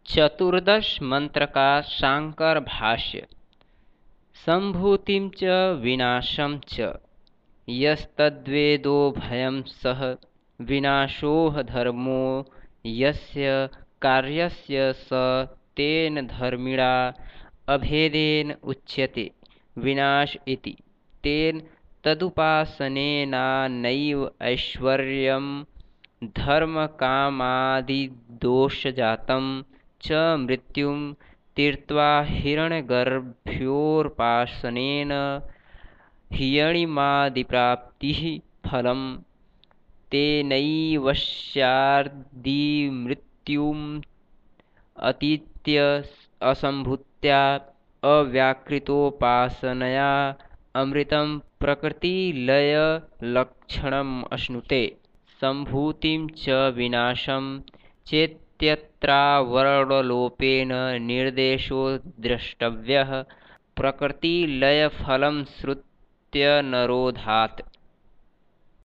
चतुर्दश मंत्र का शांकर भाष्य। संभूतिं च विनाशं च यस्तद्वेदो भयं सः विनाशोह धर्मो यस्य कार्यस्य स तेन धर्मिणा अभेदेन उच्यते विनाश इति। तेन तदुपासनेनानैव ऐश्वर्यं धर्मकामादिदोषजातं च मृत्युं तीर्त्वा हिरण्यगर्भयोपासनेन हियणिमादिप्राप्तिः फलं तेनैवस्यादिमृत्युम् अतीत्य असम्भूत्या अव्याकृतोपासनया अमृतं प्रकृतिलयलक्षणम् अश्नुते। सम्भूतिं च विनाशं चेत्यत्रावरणलोपेन निर्देशो द्रष्टव्यः प्रकृतिलयफलं श्रुत्यनरोधात्।